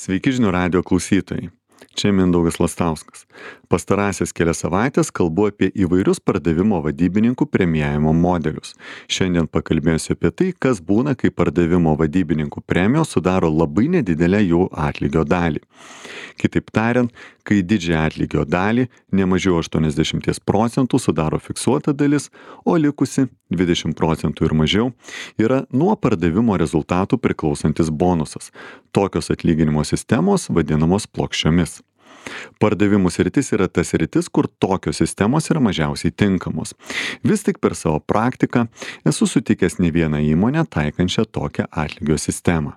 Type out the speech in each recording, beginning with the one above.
Sveiki žinių radijo klausytojai. Čia Mindaugas Lastauskas. Pastarąsias kelias savaitės kalbu apie įvairius pardavimo vadybininkų premijavimo modelius. Šiandien pakalbėsiu apie tai, kas būna, kai pardavimo vadybininkų premijos sudaro labai nedidelę jų atlygio dalį. Kitaip tariant, kai didžiąją atlygio dalį, ne mažiau 80% sudaro fiksuota dalis, o likusi 20% ir mažiau yra nuo pardavimo rezultatų priklausantis bonusas. Tokios atlyginimo sistemos vadinamos plokščiomis. Pardavimų sritis yra ta sritis, kur tokios sistemos yra mažiausiai tinkamos. Vis tik per savo praktiką esu sutikęs ne vieną įmonę taikančią tokią atlygio sistemą.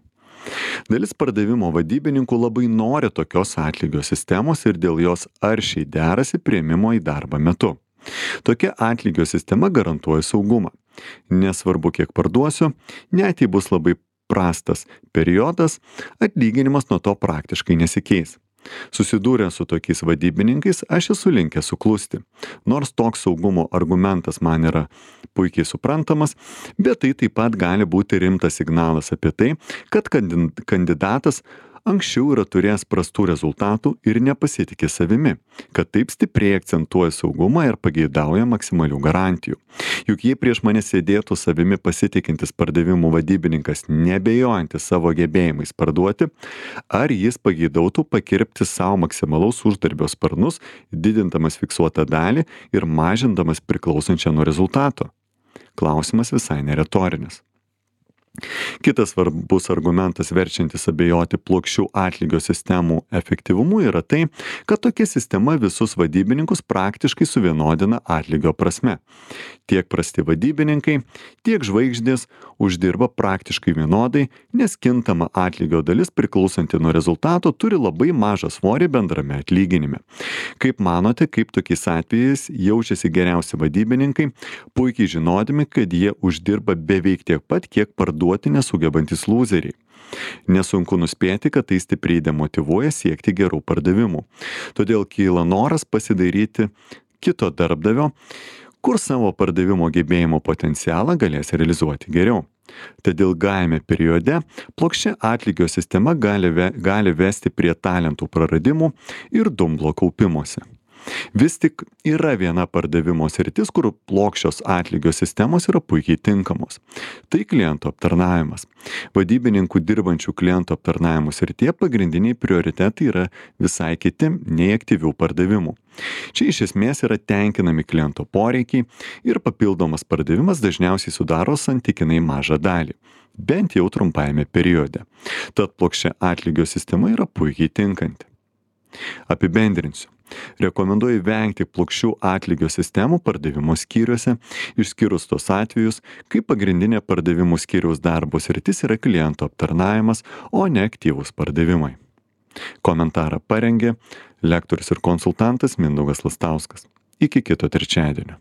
Dalis pardavimo vadybininkų labai nori tokios atlygio sistemos ir dėl jos aršiai derasi priėmimo į darbą metu. Tokia atlygio sistema garantuoja saugumą. Nesvarbu, kiek parduosiu, net jei bus labai prastas periodas, atlyginimas nuo to praktiškai nesikeis. Susidūrę su tokiais vadybininkais, aš esu linkęs suklusti. Nors toks saugumo argumentas man yra puikiai suprantamas, bet tai taip pat gali būti rimtas signalas apie tai, kad kandidatas anksčiau yra turėjęs prastų rezultatų ir nepasitikė savimi, kad taip stipriai akcentuoja saugumą ir pageidauja maksimalių garantijų. Juk jei prieš mane sėdėtų savimi pasitikintis pardavimų vadybininkas, nebejojantis savo gebėjimais parduoti, ar jis pageidautų pakirpti savo maksimalaus uždarbio sparnus, didindamas fiksuotą dalį ir mažindamas priklausančią nuo rezultato? Klausimas visai neretorinis. Kitas svarbus argumentas verčiantis abejoti plokščių atlygio sistemų efektyvumu yra tai, kad tokia sistema visus vadybininkus praktiškai suvienodina atlygio prasme. Tiek prasti vadybininkai, tiek žvaigždės uždirba praktiškai vienodai, nes kintama atlygio dalis priklausanti nuo rezultato turi labai mažą svorį bendrame atlyginime. Kaip manote, kaip tokiais atvejais jaučiasi geriausi vadybininkai, puikiai žinodami, kad jie uždirba beveik tiek pat, kiek parduoti nesugebantis lūzeriai. Nesunku nuspėti, kad tai stipriai demotyvuoja siekti gerų pardavimų. Todėl kyla noras pasidairyti kito darbdavio, kur savo pardavimo gebėjimo potencialą galės realizuoti geriau. Tad ilgajame periode plokščia atlygio sistema gali vesti prie talentų praradimų ir dumblo kaupimosi. Vis tik yra viena pardavimo sritis, kur plokščios atlygio sistemos yra puikiai tinkamos. Tai klientų aptarnavimas. Vadybininkų dirbančių klientų aptarnavimo srityje pagrindiniai prioritetai yra visai kiti nei aktyvių pardavimų. Čia iš esmės yra tenkinami kliento poreikiai ir papildomas pardavimas dažniausiai sudaro santykinai mažą dalį, bent jau trumpajame periode. Tad plokščia atlygio sistema yra puikiai tinkanti. Apibendrinsiu. Rekomenduoju vengti plokščių atlygio sistemų pardavimo skyriuose, išskyrus tos atvejus, kai pagrindinė pardavimų skyriaus darbo sritis yra klientų aptarnavimas, o ne aktyvūs pardavimai. Komentarą parengė lektorius ir konsultantas Mindaugas Lastauskas. Iki kito trečiadienio.